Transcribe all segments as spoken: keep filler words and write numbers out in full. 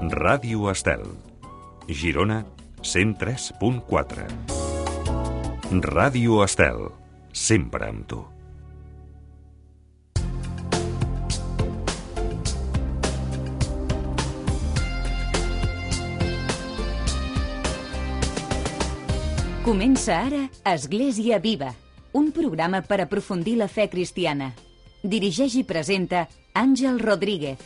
Ràdio Estel, Girona, cent tres punt quatre. Ràdio Estel, sempre amb tu. Comença ara Església Viva, un programa per aprofundir la fe cristiana. Dirigeix i presenta Àngel Rodríguez.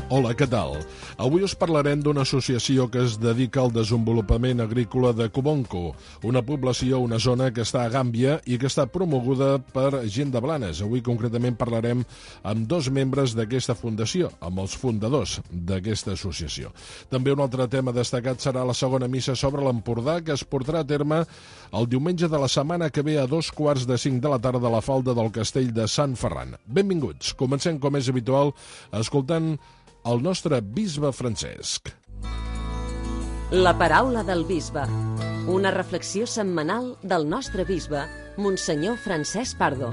Hola, què tal? Avui us parlarem d'una associació que es dedica al desenvolupament agrícola de Cubonco, una població, una zona que està a Gàmbia i que està promoguda per gent de Blanes. Avui concretament parlarem amb dos membres d'aquesta fundació, amb els fundadors d'aquesta associació. També un altre tema destacat serà la segona missa sobre l'Empordà, que es portarà a terme el diumenge de la setmana que ve a dos quarts de cinc de la tarda a la falda del castell de Sant Ferran. Benvinguts. Comencem, com és habitual, escoltant el nostre bisbe Francesc. La paraula del bisbe. Una reflexió setmanal del nostre bisbe, Monsenyor Francesc Pardo.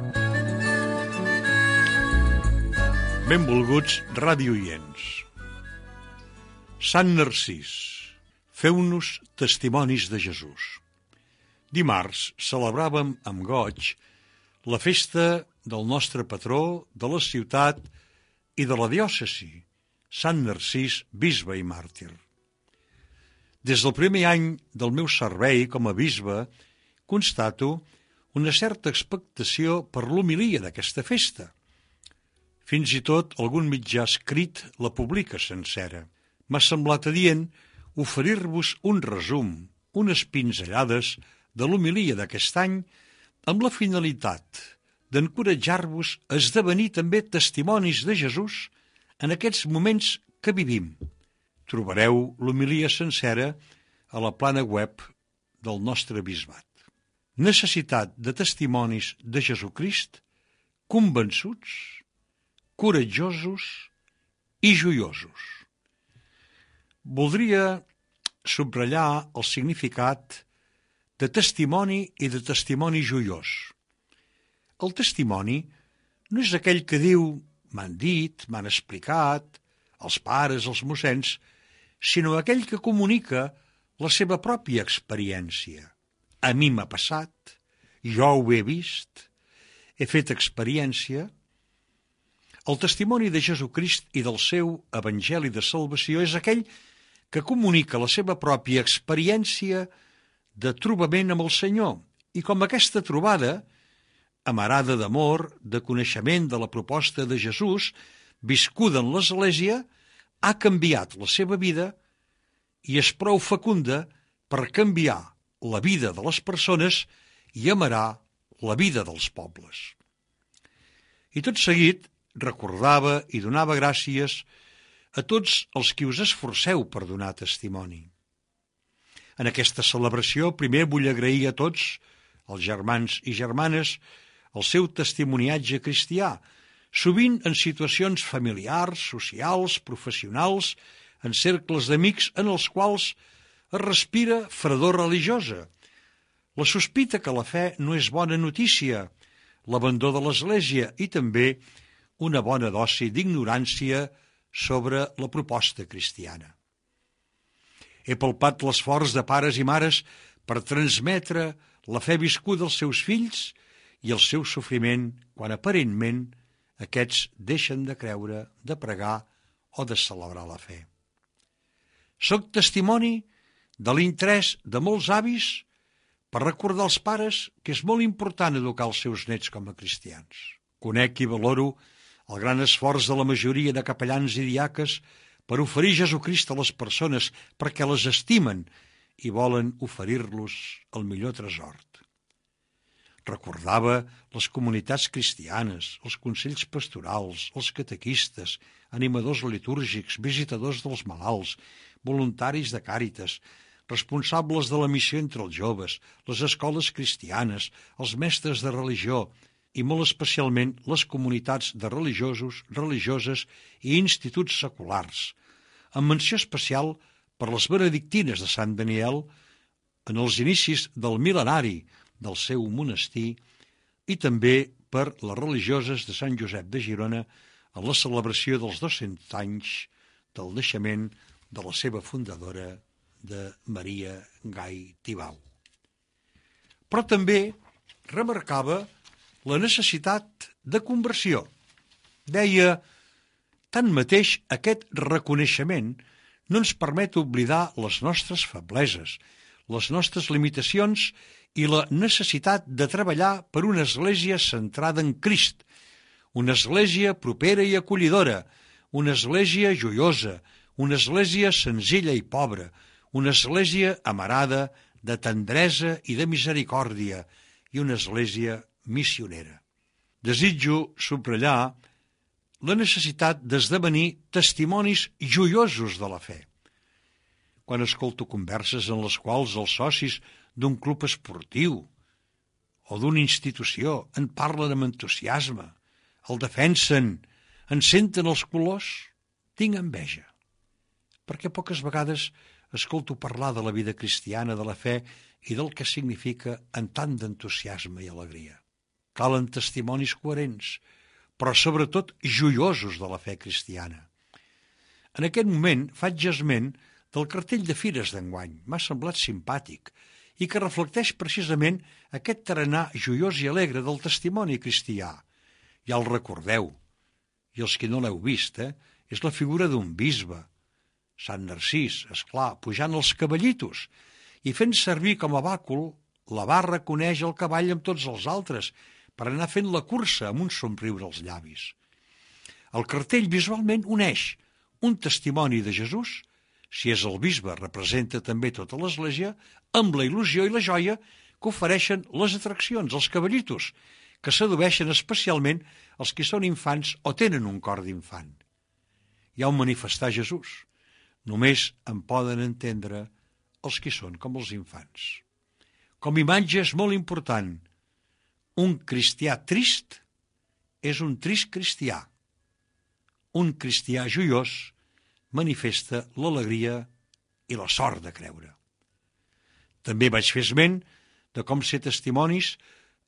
Benvolguts radioients. Sant Narcís, feu-nos testimonis de Jesús. Dimarts celebràvem amb goig la festa del nostre patró, de la ciutat i de la diòcesi, Sant Narcís, bisbe i màrtir. Des del primer any del meu servei com a bisbe, constato una certa expectació per l'homilia d'aquesta festa. Fins i tot algun mitjà escrit la publica sencera. M'ha semblat adient oferir-vos un resum, unes pinzellades de l'homilia d'aquest any, amb la finalitat d'encoratjar-vos a esdevenir també testimonis de Jesús en aquests moments que vivim. Trobareu l'homilia sencera a la plana web del nostre bisbat. Necessitat de testimonis de Jesucrist, convençuts, coratjosos i joiosos. Voldria subratllar el significat de testimoni i de testimoni joiós. El testimoni no és aquell que diu m'han dit, m'han explicat, els pares, els mossens, sinó aquell que comunica la seva pròpia experiència. A mi m'ha passat, jo ho he vist, he fet experiència. El testimoni de Jesucrist i del seu evangeli de salvació és aquell que comunica la seva pròpia experiència de trobament amb el Senyor, i com aquesta trobada, amarada d'amor, de coneixement de la proposta de Jesús, viscuda en l'Església, ha canviat la seva vida i és prou fecunda per canviar la vida de les persones i amarà la vida dels pobles. I tot seguit recordava i donava gràcies a tots els qui us esforceu per donar testimoni. En aquesta celebració primer vull agrair a tots, els germans i germanes, el seu testimoniatge cristià, sovint en situacions familiars, socials, professionals, en cercles d'amics en els quals es respira fredor religiosa, la sospita que la fe no és bona notícia, l'abandó de l'Església i també una bona dosi d'ignorància sobre la proposta cristiana. He palpat l'esforç de pares i mares per transmetre la fe viscuda als seus fills i el seu sofriment quan aparentment aquests deixen de creure, de pregar o de celebrar la fe. Soc testimoni de l'interès de molts avis per recordar als pares que és molt important educar els seus nets com a cristians. Conec i valoro el gran esforç de la majoria de capellans i diaques per oferir Jesucrist a les persones perquè les estimen i volen oferir-los el millor tresor. Recordava les comunitats cristianes, els consells pastorals, els catequistes, animadors litúrgics, visitadors dels malalts, voluntaris de càritas, responsables de la missió entre els joves, les escoles cristianes, els mestres de religió i molt especialment les comunitats de religiosos, religioses i instituts seculars, amb menció especial per les benedictines de Sant Daniel en els inicis del mil·lenari del seu monestir i també per les religioses de Sant Josep de Girona en la celebració dels dos-cents anys del naixement de la seva fundadora, de Maria Gai Tibau. Però també remarcava la necessitat de conversió. Deia, tanmateix, aquest reconeixement no ens permet oblidar les nostres febleses, les nostres limitacions i la necessitat de treballar per una església centrada en Crist, una església propera i acollidora, una església joiosa, una església senzilla i pobra, una església amarada de tendresa i de misericòrdia i una església missionera. Desitjo subratllar la necessitat d'esdevenir testimonis joiosos de la fe. Quan escolto converses en les quals els socis d'un club esportiu o d'una institució en parlen amb entusiasme, el defensen, en senten els colors, tinc enveja. Perquè poques vegades escolto parlar de la vida cristiana, de la fe i del que significa en tant d'entusiasme i alegria. Calen testimonis coherents, però sobretot joiosos de la fe cristiana. En aquest moment faig esment del cartell de fires d'enguany, m'ha semblat simpàtic, i que reflecteix precisament aquest tarannà joiós i alegre del testimoni cristià. Ja el recordeu, i els que no l'heu vist, eh? És la figura d'un bisbe, Sant Narcís, esclar, pujant els cavallitos, i fent servir com a bàcul la barra que uneix el cavall amb tots els altres, per anar fent la cursa amb un somriure als llavis. El cartell visualment uneix un testimoni de Jesús, si és el bisbe representa també tota l'església, amb la il·lusió i la joia que ofereixen les atraccions, els cavallitos, que sedueixen especialment els que són infants o tenen un cor d'infant. Hi ha un manifestar Jesús. Només en poden entendre els que són com els infants. Com a imatge és molt important. Un cristià trist és un trist cristià. Un cristià joiós manifesta l'alegria i la sort de creure. També vaig fer esment de com ser testimonis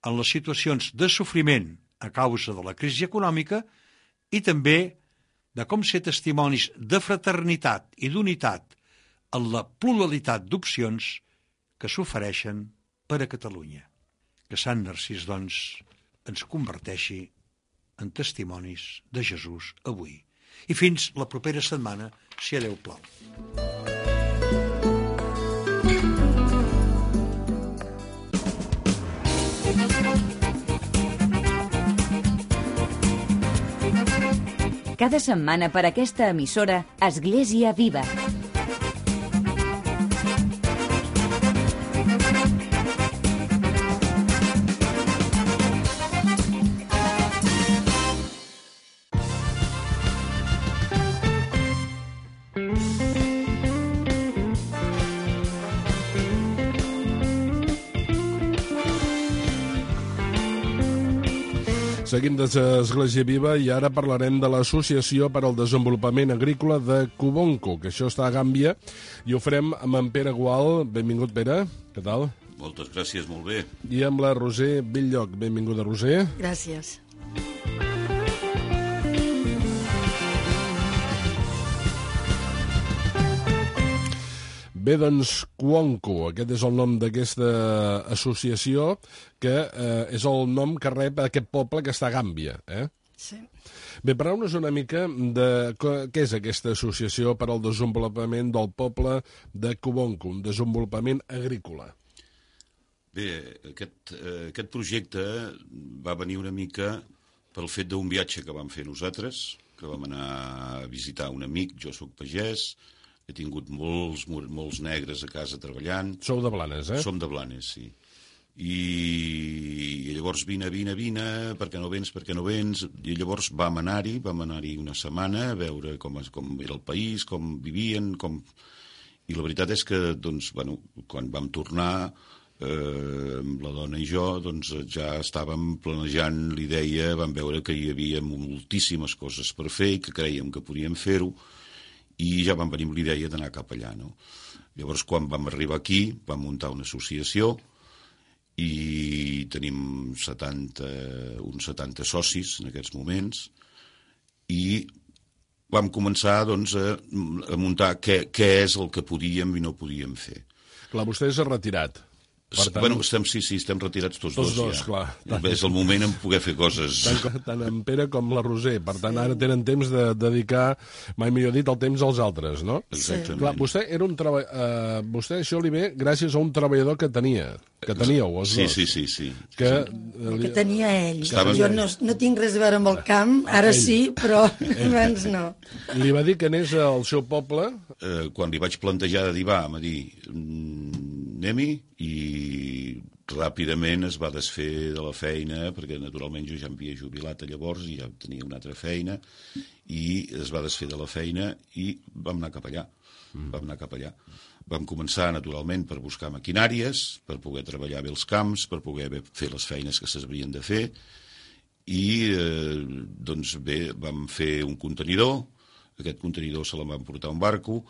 en les situacions de sofriment a causa de la crisi econòmica i també de com ser testimonis de fraternitat i d'unitat en la pluralitat d'opcions que s'ofereixen per a Catalunya. Que Sant Narcís, doncs, ens converteixi en testimonis de Jesús avui. I fins la propera setmana, si a Déu plau. Cada setmana per aquesta emissora, Església Viva. Seguim des d'Església Viva i ara parlarem de l'Associació per al Desenvolupament Agrícola de Cubonco, que això està a Gàmbia, i ho farem amb en Pere Gual. Benvingut, Pere. Què tal? Moltes gràcies, molt bé. I amb la Roser Belllloc. Benvinguda, Roser. Gràcies. Bé, doncs, Cuonco, aquest és el nom d'aquesta associació, que eh, és el nom que rep aquest poble que està a Gàmbia, eh? Sí. Bé, parleu-nos una mica de què és aquesta associació per al desenvolupament del poble de Cubonco, un desenvolupament agrícola. Bé, aquest, eh, aquest projecte va venir una mica pel fet d'un viatge que vam fer nosaltres, que vam anar a visitar un amic, jo sóc pagès, he tingut molts, molts negres a casa treballant. Sou de Blanes, eh? Som de Blanes, sí. I llavors vine, vine, vine, per què no vens, per què no vens? I llavors vam anar-hi, vam anar-hi una setmana a veure com, com era el país, com vivien, com... I la veritat és que, doncs, bueno, quan vam tornar, eh, la dona i jo, doncs, ja estàvem planejant l'idea, vam veure que hi havia moltíssimes coses per fer i que creiem que podíem fer-ho, i ja vam venir amb l'idea d'anar cap allà, no? Llavors, quan vam arribar aquí, vam muntar una associació i tenim setanta, uns setanta socis en aquests moments i vam començar doncs, a, a muntar què, què és el que podíem i no podíem fer. Clar, vostè s'ha retirat. Per tant, bueno, estem, sí, sí, estem retirats tots, tots dos, dos ja. Clar. Tant, és el moment en poder fer coses. Tant, tant en Pere com la Roser. Per tant, ara tenen temps de dedicar, mai millor dit, el temps als altres, no? Exactament. Clar, vostè, era un treba... uh, vostè això li ve gràcies a un treballador que tenia, que teníeu, els sí, dos. Sí, sí, sí. Que, sí. que tenia ell. Estaven... Jo no, no tinc res a veure amb el camp, ara ell. Sí, però abans no. Li va dir que anés al seu poble? Eh, quan li vaig plantejar de dir, va, em va dir, anem-hi, i ràpidament es va desfer de la feina, perquè naturalment jo ja m'havia jubilat llavors i ja tenia una altra feina, i es va desfer de la feina i vam anar cap allà. Mm. Vam anar cap allà. Vam començar, naturalment, per buscar maquinàries, per poder treballar bé els camps, per poder fer les feines que s'haurien de fer, i eh, doncs bé, vam fer un contenidor, aquest contenidor se la vam portar a un barco,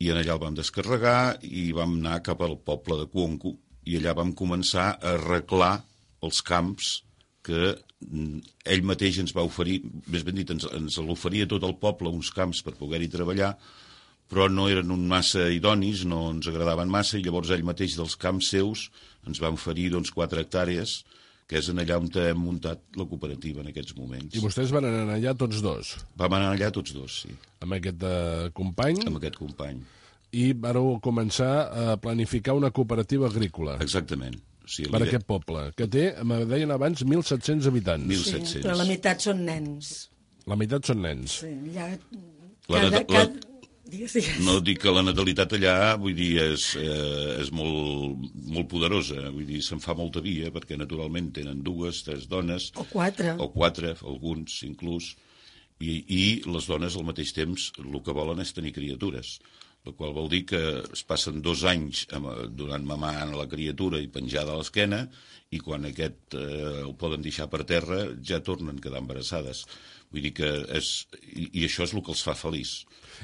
i en allà el vam descarregar i vam anar cap al poble de Cuonco, i allà vam començar a arreglar els camps que ell mateix ens va oferir, més ben dit, ens, ens l'oferia tot el poble, uns camps per poder-hi treballar, però no eren un massa idonis, no ens agradaven massa, i llavors ell mateix dels camps seus ens va oferir doncs, quatre hectàrees, que és en allà on hem muntat la cooperativa en aquests moments. I vostès van anar allà tots dos? Vam anar allà tots dos, sí. Amb aquest uh, company? Amb aquest company. I vareu començar a planificar una cooperativa agrícola. Exactament. Sí, per aquest poble, que té, me deien abans, mil set-cents habitants. mil set-cents. Sí, però la meitat són nens. La meitat són nens. Sí, allà... La, cada, la, cada... Digues, digues. No dic que la natalitat allà, vull dir, és, eh, és molt, molt poderosa, vull dir, se'n fa molta via, perquè naturalment tenen dues, tres dones... O quatre. O quatre, alguns inclús, i, i les dones al mateix temps el que volen és tenir criatures, la qual vol dir que es passen dos anys donant mamà a la criatura i penjada a l'esquena, i quan aquest eh, el poden deixar per terra ja tornen a quedar embarassades. Vull dir que és... I, i això és el que els fa feliç.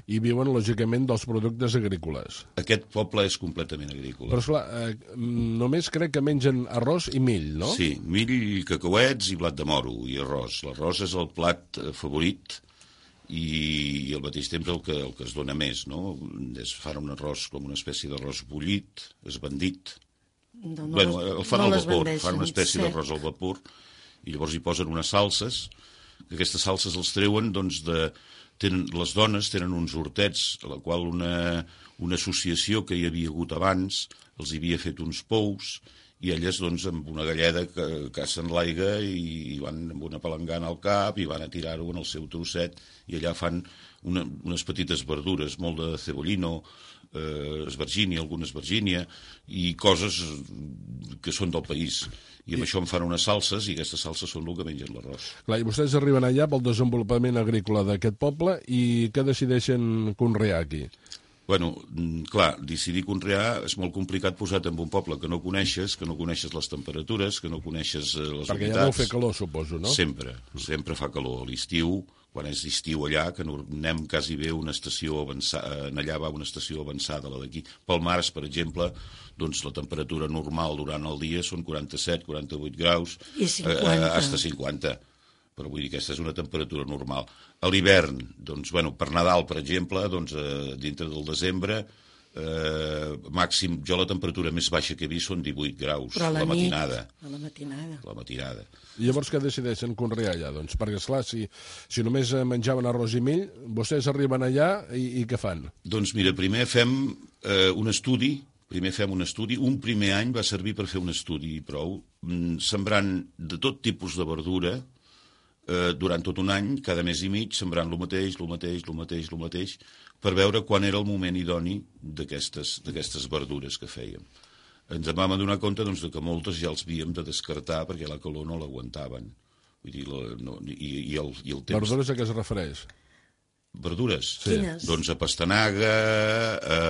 I viuen, lògicament, dels productes agrícoles. Aquest poble és completament agrícola. Però, esclar, eh, només crec que mengen arròs i mill, no? Sí, mill, cacauets i blat de moro i arròs. L'arròs és el plat favorit i, i al mateix temps el que, el que es dona més, no? Es fan un arròs com una espècie d'arròs bullit, esbandit. No, no bueno, el fan no al vapor, fan una espècie sí. d'arròs al vapor, i llavors hi posen unes salses, que aquestes salses els treuen, doncs, de... Tenen, les dones tenen uns hortets, a la qual una, una associació que hi havia hagut abans els havia fet uns pous, i elles, doncs, amb una galleda que cacen l'aigua i, i van amb una palangana al cap i van a tirar-ho en el seu trosset, i allà fan una, unes petites verdures, molt de cebollino, eh, esvergínia, alguna esvergínia, i coses que són del país. I amb I... això en fan unes salses, i aquestes salses són el que mengen l'arròs. Clar, i vostès arriben allà pel desenvolupament agrícola d'aquest poble, i què decideixen conrear aquí? Bueno, clar, decidir conrear és molt complicat posat en un poble que no coneixes, que no coneixes les temperatures, que no coneixes les humitats. Perquè ja deu fer calor, suposo, no? Sempre, sempre fa calor. A l'estiu, quan és estiu allà, que anem quasi bé una estació avançada, allà va una estació avançada, la d'aquí. Pel març, per exemple, doncs la temperatura normal durant el dia són quaranta-set, quaranta-vuit graus, i cinquanta. Eh, hasta cinquanta. Però vull dir que aquesta és una temperatura normal. A l'hivern, doncs, bueno, per Nadal, per exemple, doncs, eh, dintre del desembre, eh, màxim, jo la temperatura més baixa que he vist són divuit graus, però a la, la matinada. Nit, a la matinada. La matinada. I llavors què decideixen conrear allà? Doncs, perquè, esclar, si, si només menjaven arròs i mill, vostès arriben allà i, i què fan? Doncs mira, primer fem eh, un estudi, primer fem un estudi, un primer any va servir per fer un estudi i prou, sembrant de tot tipus de verdura, Eh, durant tot un any, cada mes i mig, sembrant el mateix, el mateix, el mateix, el mateix, per veure quan era el moment idoni d'aquestes verdures que fèiem. Ens vam adonar compte doncs, que moltes ja els havíem de descartar perquè la calor no l'aguantaven. Vull dir, la, no, i, i, el, i el temps... Verdures a què es refereix? Verdures? Sí. Quines? Doncs a pastanaga, a,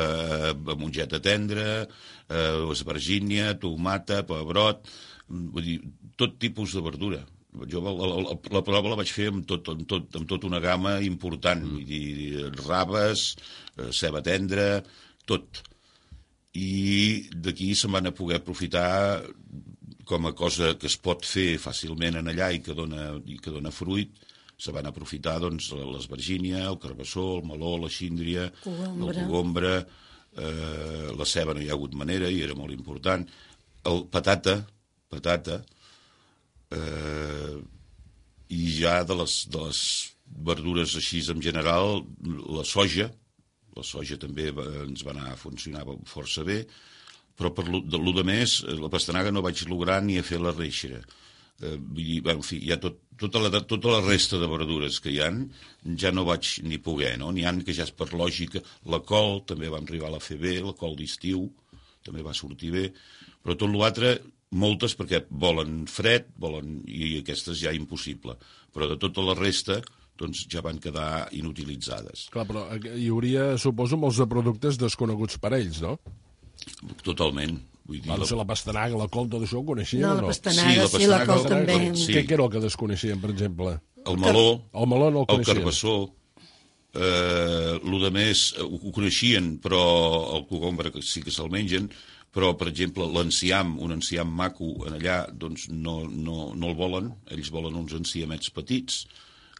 a mongeta tendra, a esvergínia, tomata, pebrot, vull dir, tot tipus de verdura. Jo la, la, la prova la vaig fer amb tot, amb tot, amb tot una gamma important, vull dir, raves, ceba tendra, tot. I d'aquí se'n van a poder aprofitar com a cosa que es pot fer fàcilment en allà i que dona, i que dona fruit, se van aprofitar doncs, l'esvergínia, el carbassó, el meló, la síndria, Cogombra. el cogombra, eh, la ceba no hi ha hagut manera i era molt important, el patata, patata, eh, i ja de les, de les verdures així en general, la soja, la soja també va, ens va anar a funcionar força bé, però per lo, de, lo de més, la pastanaga no vaig lograr ni a fer la reixera. Eh, vull dir, bueno, en fi, hi ha tot, tota, la, tota la resta de verdures que hi ha, ja no vaig ni poder, no? N'hi ha que ja és per lògica. La col també vam arribar a fer bé, la col d'estiu també va sortir bé, però tot l'altre, moltes perquè volen fred, volen, i aquestes ja impossible. Però de tota la resta, doncs ja van quedar inutilitzades. Clar, però hi hauria, suposo, molts de productes desconeguts per ells, no? Totalment. Vull dir, Va, no sé, la pastanaga, la col, tot això ho coneixien No, o la no? pastanaga, Sí, la sí, la pastanaga, col la també. col, sí. Què, què era el que desconeixien, per exemple? El meló, El meló no el el coneixien. carbassó, eh, el de més ho, ho coneixien, però el cogombre sí que se'l mengen, però, per exemple, l'enciam, un enciam maco en allà, doncs no, no, no el volen, ells volen uns enciamets petits,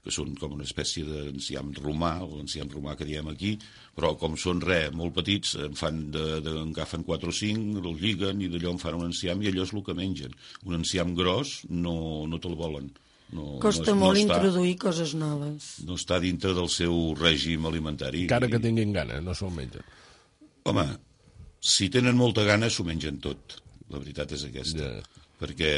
que són com una espècie d'enciam romà, l'enciam romà que diem aquí, però com són res, molt petits, en fan de, de, en agafen quatre o cinc, el lliguen i d'allò en fan un enciam i allò és el que mengen. Un enciam gros no, no te'l volen. No, Costa no, molt no està, introduir coses noves. no està dintre del seu règim alimentari. Encara que tinguin gana, no se'l mengen. Home, si tenen molta gana s'ho mengen tot. La veritat és aquesta. Ja. Perquè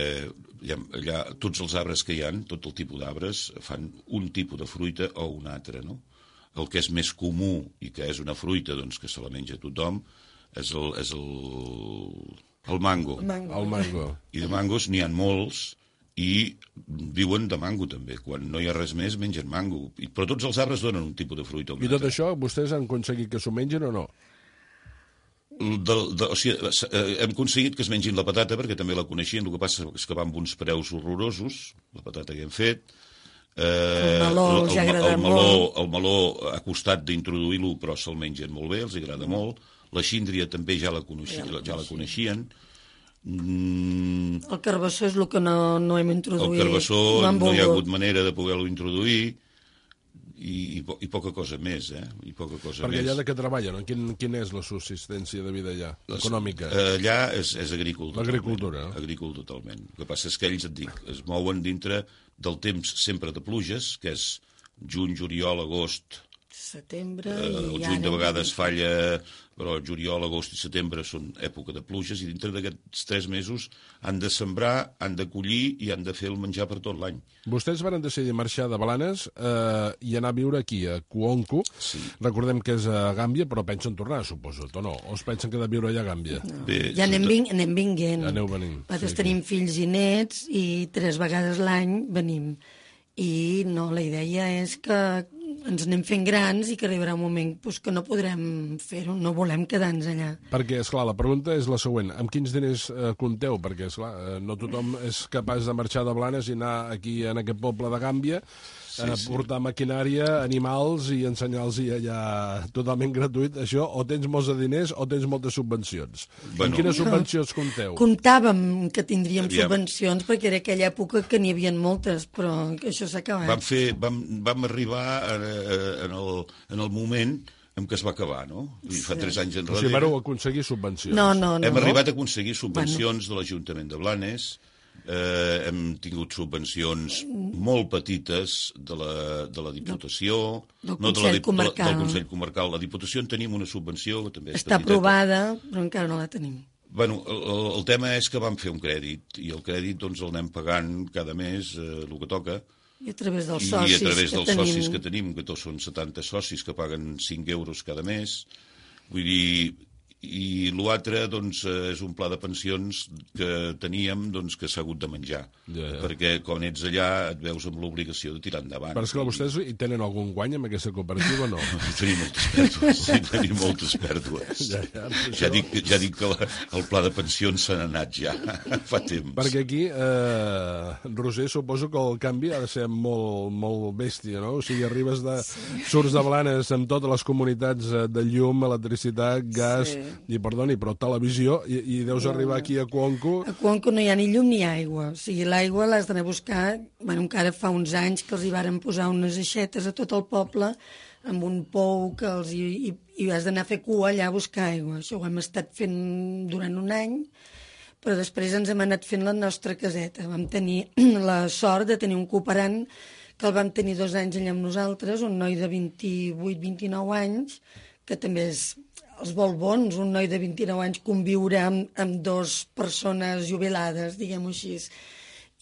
allà, allà, tots els arbres que hi ha, tot el tipus d'arbres, fan un tipus de fruita o un altre, no? El que és més comú i que és una fruita doncs, que se la menja tothom és el, és el, el mango. Mango. El mango. I de mangos n'hi ha molts i viuen de mango també. Quan no hi ha res més mengen mango. I, però tots els arbres donen un tipus de fruita o un I tot altre. això vostès han aconseguit que s'ho mengen o no? De, de, o sigui, hem aconseguit que es mengin la patata perquè també la coneixien, el que passa és que va amb uns preus horrorosos, la patata que hem fet. Eh, El meló els el, agrada el meló, molt. El meló ha costat d'introduir-lo, però se'l mengen molt bé, els agrada molt. La síndria també ja la, coneixi, ja, ja la coneixien. Mm, El carbassó és el que no, no hem introduït. el carbassó no, han no hi ha volgut. hagut manera de poder-lo introduir i, i, po- i poca cosa més, eh? I poca cosa Perquè més. allà de què treballen? No? Quin, quina és la subsistència de vida allà? Econòmica? Eh, Allà és, és agrícola. L'agricultura, no? Agrícola totalment. El que passa és que ells, et dic, es mouen dintre del temps sempre de pluges, que és juny, juliol, agost. Setembre Eh, el i juny ara... de vegades falla, però juliol, agost i setembre són època de pluges i dintre d'aquests tres mesos han de sembrar, han de collir i han de fer el menjar per tot l'any. Vostès van decidir marxar de Blanes eh, i anar a viure aquí, a Cuonco. Sí. Recordem que és a Gàmbia, però pensen tornar, suposo, o no? O es pensen quedar a viure allà a Gàmbia? No. Bé, Ja anem, sobretot- ving, anem vinguent. Aneu venint. Nosaltres Sí, tenim fills i nets i tres vegades l'any venim. I no, la idea és que ens anem fent grans i que arribarà un moment pues, que no podrem fer-ho, no volem quedar-nos allà. Perquè, esclar, la pregunta és la següent. Amb quins diners eh, compteu? Perquè, esclar, eh, no tothom és capaç de marxar de Blanes i anar aquí, en aquest poble de Gàmbia, Sí, eh, sí. portar maquinària, animals i ensenyar-los allà totalment gratuït. Això, o tens molts de diners o tens moltes subvencions. Bueno. Amb quines subvencions compteu? Comptàvem que tindríem Aviam. subvencions perquè era aquella època que n'hi havia moltes, però que això s'ha acabat. Vam, fer, vam, vam arribar eh, en, el, en el moment en què es va acabar, no? I fa tres anys O enrere. sigui, vareu aconseguir subvencions. No, no, no. Hem arribat a aconseguir subvencions de l'Ajuntament de Blanes, eh, hem tingut subvencions molt petites de la, de la Diputació, Del no de la, Consell Dip- Comarcal. del Consell Comarcal. La Diputació en tenim una subvenció que també és Està petiteta. aprovada, però encara no la tenim. Bueno, el, el, el tema és que vam fer un crèdit, i el crèdit doncs, el anem pagant cada mes, eh, el que toca, I a través dels i socis a través que dels tenim... socis que tenim, que tots són setanta socis que paguen cinc euros cada mes. Vull dir, i l'altre doncs, eh, és un pla de pensions que teníem doncs, que s'ha hagut de menjar. Ja, ja. Perquè quan ets allà et veus amb l'obligació de tirar endavant. Però és que vostès hi tenen algun guany amb aquesta cooperativa o no? Tenim moltes pèrdues, sí, tenim moltes pèrdues. Ja, ja, això- Ja dic, ja dic que la, el pla de pensions se n'ha anat ja, fa temps. Perquè aquí, eh, Roser, suposo que el canvi ha de ser molt, molt bèstia, no? O sigui, arribes de... surts de Blanes amb totes les comunitats eh, de llum, electricitat, gas, Sí. i perdoni, però televisió, i, i deus no, arribar aquí a Cuonco... A Cuonco no hi ha ni llum ni aigua. O sigui, l'aigua l'has d'anar a buscar... Bueno, encara fa uns anys que els hi varen posar unes aixetes a tot el poble amb un pou que els hi, i, i has d'anar a fer cua allà a buscar aigua. Això ho hem estat fent durant un any, però després ens hem anat fent la nostra caseta. Vam tenir la sort de tenir un cooperant que el vam tenir dos anys allà amb nosaltres, un noi de vint-i-vuit vint-i-nou anys, que també és els vol bons, un noi de vint-i-nou anys conviure amb, amb dues persones jubilades, diguem-ho així.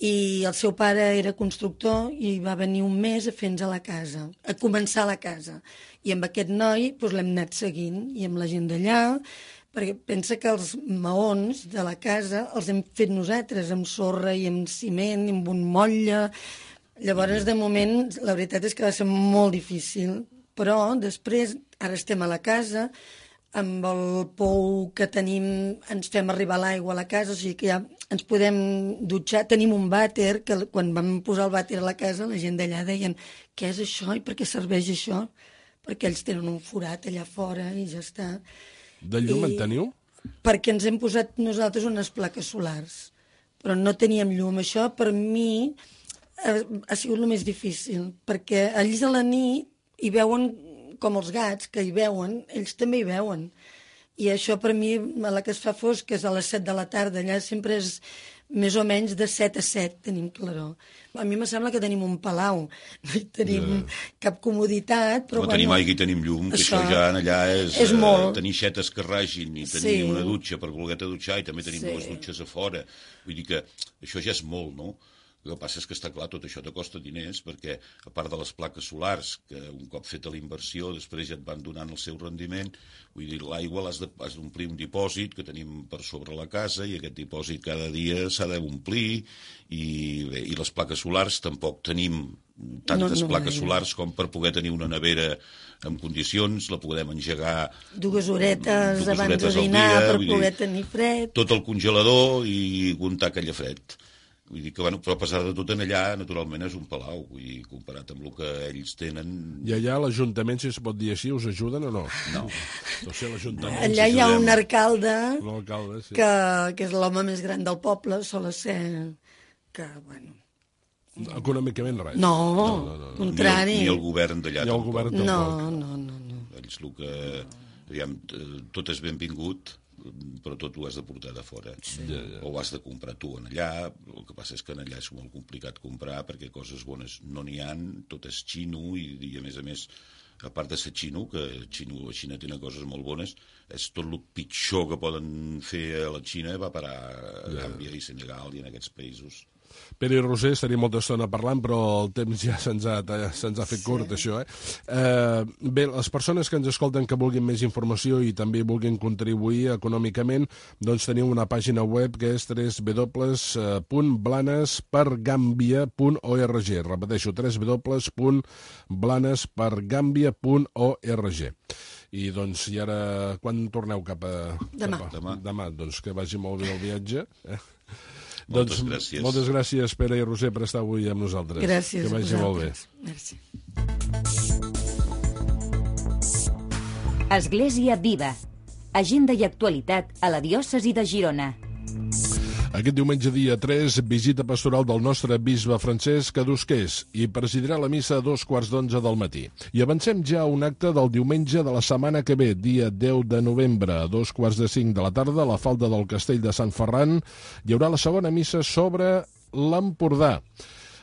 I el seu pare era constructor i va venir un mes a fer-nos a la casa, a començar la casa. I amb aquest noi doncs, l'hem anat seguint, i amb la gent d'allà, perquè pensa que els maons de la casa els hem fet nosaltres, amb sorra i amb ciment, i amb un motlle. Llavors, de moment, la veritat és que va ser molt difícil, però després, ara estem a la casa, amb el pou que tenim ens fem arribar l'aigua a la casa, o sigui que ja ens podem dutxar. Tenim un vàter, que quan vam posar el vàter a la casa, la gent d'allà deien què és això i per què serveix això? Perquè ells tenen un forat allà fora i ja està. De llum en teniu? Perquè ens hem posat nosaltres unes plaques solars, però no teníem llum. Això, per mi, ha sigut el més difícil, perquè ells a la nit hi veuen com els gats, que hi veuen, ells també hi veuen. I això per mi, a la que es fa fosc, que és a les set de la tarda, allà sempre és més o menys de set a set, tenim claror. A mi me sembla que tenim un palau, no hi tenim yeah. cap comoditat, però... No bueno, tenim aigua i tenim llum, que això, això ja allà és, és molt. Uh, tenir xetes que ragin i tenir sí. una dutxa per voler-te dutxar i també tenim sí. dues dutxes a fora. Vull dir que això ja és molt, no? El que passa és que està clar, tot això te costa diners, perquè a part de les plaques solars, que un cop feta la inversió, després ja et van donant el seu rendiment, vull dir, l'aigua l'has d'omplir un dipòsit que tenim per sobre la casa, i aquest dipòsit cada dia s'ha d'omplir, i, bé, i les plaques solars tampoc tenim tantes no, no, plaques no. solars com per poder tenir una nevera en condicions, la podem engegar dues horetes dues abans horetes de dinar dia, per poder dir, tenir fred. Tot el congelador i aguantar aquell fred. Vull dir que, bueno, però a pesar de tot, en allà, naturalment, és un palau, vull dir, comparat amb el que ells tenen... I allà l'Ajuntament, si es pot dir així, us ajuden o no? No. O sigui, l'Ajuntament... Allà hi ha un alcalde, sí. que, que és l'home més gran del poble, sol ser que, bueno... Econòmicament res. No, no, no, no. contrari. Ni el, ni el govern d'allà tampoc. El govern tampoc. No, no, no, no. Ells el que... Aviam, tot és benvingut, però tot ho has de portar de fora. Sí. Ja, ja. O ho has de comprar tu en allà. El que passa és que en allà és molt complicat comprar, perquè coses bones no n'hi ha, tot és xino, i, i a més a més, a part de ser xino, que xino, la Xina tenen coses molt bones, és tot el pitjor que poden fer a la Xina va parar a Gàmbia i Senegal i en aquests països. Pere i Roser, estaria molta estona parlant, però el temps ja se'ns ha, se'ns ha fet curt, sí. això. Eh? Eh, bé, les persones que ens escolten que vulguin més informació i també vulguin contribuir econòmicament, doncs tenim una pàgina web que és w w w punt blanes per gàmbia punt org. Repeteixo, w w w punt blanes per gàmbia punt org. I doncs, i ara, quan torneu cap a... Demà. Cap a, demà. Demà, doncs que vagi molt bé el viatge. Eh? Moltes doncs, gràcies. Moltes gràcies, Pere i Roser, per estar avui amb nosaltres. Gràcies que vagi a molt bé. Merci. Església Viva. Agenda i actualitat a la diòcesi de Girona. Aquest diumenge dia tres, visita pastoral del nostre bisbe Francesc a Dosquers i presidirà la missa a dos quarts d'onze del matí. I avancem ja a un acte del diumenge de la setmana que ve, dia deu de novembre, a dos quarts de cinc de la tarda, a la falda del Castell de Sant Ferran, hi haurà la segona missa sobre l'Empordà.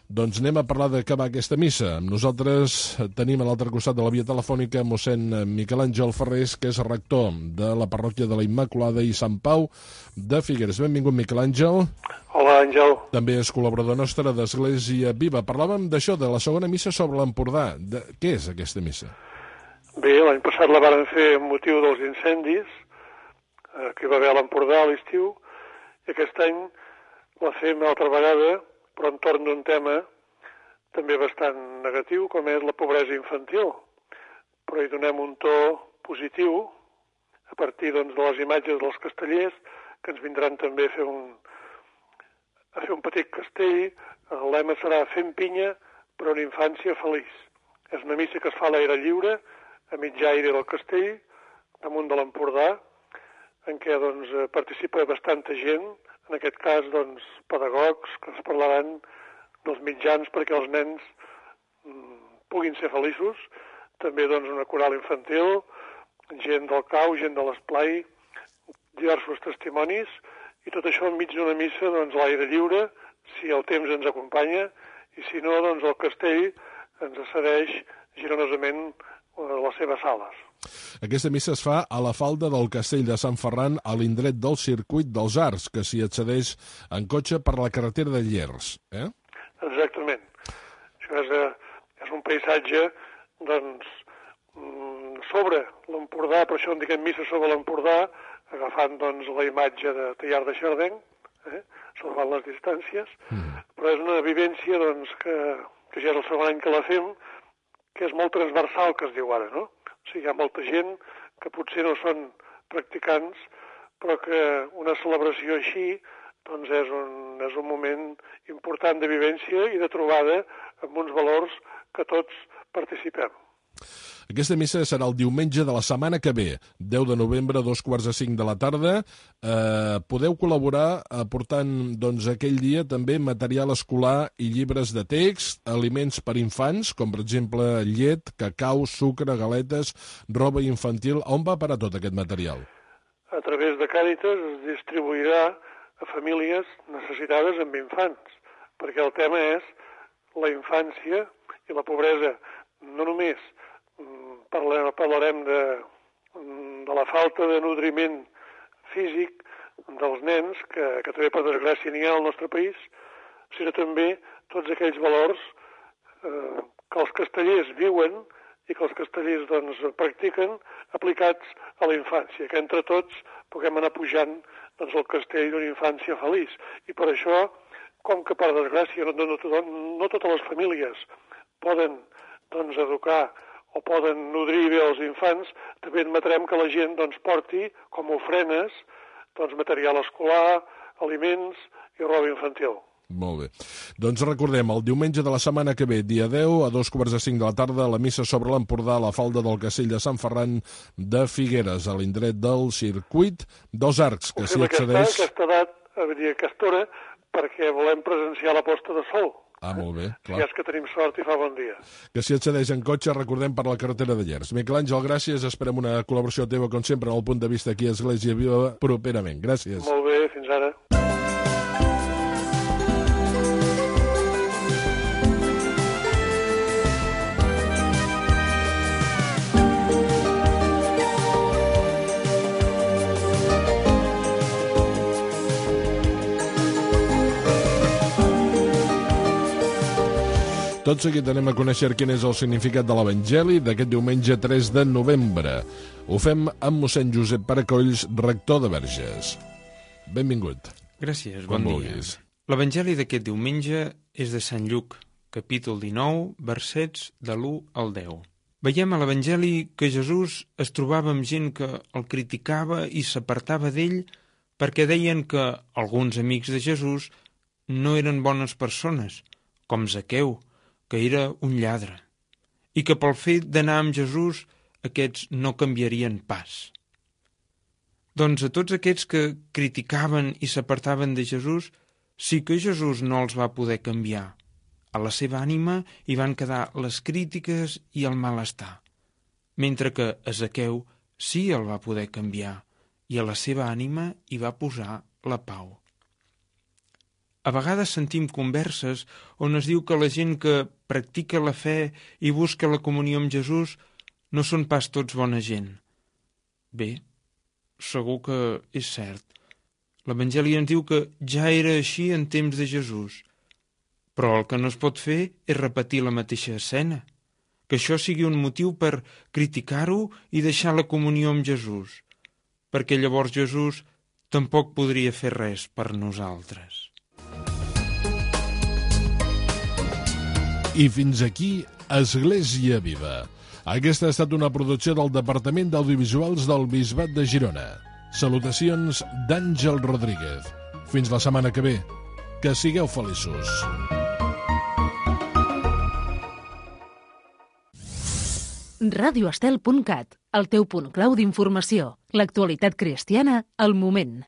Doncs anem a parlar de què va aquesta missa. Nosaltres tenim a l'altre costat de la via telefònica mossèn Miquel Àngel Ferrés, que és rector de la parròquia de la Immaculada i Sant Pau de Figueres. Benvingut, Miquel Àngel. Hola, Àngel. També és col·laborador nostre d'Església Viva. Parlàvem d'això, de la segona missa sobre l'Empordà. De... Què és aquesta missa? Bé, l'any passat la varen fer amb motiu dels incendis eh, que hi va haver a l'Empordà a l'estiu, i aquest any la fem altra vegada, però entorn d'un tema també bastant negatiu, com és la pobresa infantil. Però hi donem un to positiu a partir doncs, de les imatges dels castellers, que ens vindran també a fer un, a fer un petit castell. El lema serà Fent pinya per una infància feliç. És una missa que es fa a l'aire lliure, a mig aire del castell, damunt de l'Empordà, en què doncs, participa bastanta gent, en aquest cas doncs, pedagogs que ens parlaran dels mitjans perquè els nens mm, puguin ser feliços, també doncs, una coral infantil, gent del cau, gent de l'esplai, diversos testimonis, i tot això enmig d'una missa doncs, a l'aire lliure, si el temps ens acompanya, i si no, doncs el castell ens cedeix gironosament les seves sales. Aquesta missa es fa a la falda del castell de Sant Ferran, a l'indret del circuit dels Arcs, que s'hi accedeix en cotxe per la carretera de Llers. Eh? Exactament. Això és, és un paisatge doncs, sobre l'Empordà, per això en diguem missa sobre l'Empordà, agafant doncs, la imatge de Tallar de Xardeny, eh? salvant les distàncies, mm. però és una vivència doncs, que, que ja és el segon any que la fem, que és molt transversal, que es diu ara, no? O sigui, hi ha molta gent que potser no són practicants, però que una celebració així doncs és un, és un moment important de vivència i de trobada amb uns valors que tots participem. Aquesta missa serà el diumenge de la setmana que ve, deu de novembre, dos quarts de cinc de la tarda. Eh, podeu col·laborar aportant doncs, aquell dia també material escolar i llibres de text, aliments per infants, com per exemple llet, cacau, sucre, galetes, roba infantil. On va parar tot aquest material? A través de Càritas es distribuirà a famílies necessitades amb infants, perquè el tema és la infància i la pobresa. No només Parlarem, parlarem de, de la falta de nodriment físic dels nens, que, que també per desgràcia n'hi ha al nostre país, sinó també tots aquells valors eh, que els castellers viuen i que els castellers doncs, practiquen aplicats a la infància, que entre tots puguem anar pujant doncs, el castell d'una infància feliç. I per això, com que per desgràcia no, no, no, no totes les famílies poden doncs, educar o poden nodrir bé els infants, també admetrem que la gent doncs, porti com a ofrenes doncs, material escolar, aliments i roba infantil. Molt bé. Doncs recordem, el diumenge de la setmana que ve, dia deu, a dos quarts de cinc de la tarda, la missa sobre l'Empordà a la falda del castell de Sant Ferran de Figueres, a l'indret del circuit dels Arcs, que s'hi accedeix... Aquesta, aquesta edat, a dir, aquesta hora, perquè volem presenciar la posta de sol. Ah, molt bé, clar. Si és que tenim sort i fa bon dia. Que s'hi accedeix en cotxe, recordem, per la carretera de Llers. Miquel Àngel, gràcies. Esperem una col·laboració teva, com sempre, en el punt de vista aquí a Església Viva, properament. Gràcies. Molt bé, fins ara. Tot seguit anem a conèixer quin és el significat de l'Evangeli d'aquest diumenge tres de novembre. Ho fem amb mossèn Josep Paracolls, rector de Verges. Benvingut. Gràcies, bon bon dia. dia. L'Evangeli d'aquest diumenge és de Sant Lluc, capítol dinou, versets de l'u al deu. Veiem a l'Evangeli que Jesús es trobava amb gent que el criticava i s'apartava d'ell perquè deien que alguns amics de Jesús no eren bones persones, com Zaqueu, que era un lladre, i que pel fet d'anar amb Jesús aquests no canviarien pas. Doncs a tots aquests que criticaven i s'apartaven de Jesús, sí que Jesús no els va poder canviar. A la seva ànima hi van quedar les crítiques i el malestar, mentre que a Zaqueu sí el va poder canviar, i a la seva ànima hi va posar la pau. A vegades sentim converses on es diu que la gent que practica la fe i busca la comunió amb Jesús no són pas tots bona gent. Bé, segur que és cert. L'Evangeli ens diu que ja era així en temps de Jesús, però el que no es pot fer és repetir la mateixa escena, que això sigui un motiu per criticar-ho i deixar la comunió amb Jesús, perquè llavors Jesús tampoc podria fer res per nosaltres. I fins aquí, Església Viva. Aquesta ha estat una producció del Departament d'Audiovisuals del Bisbat de Girona. Salutacions d'Àngel Rodríguez. Fins la setmana que ve. Que sigueu feliços. radio estel punt cat, el teu punt clau d'informació. L'actualitat cristiana al moment.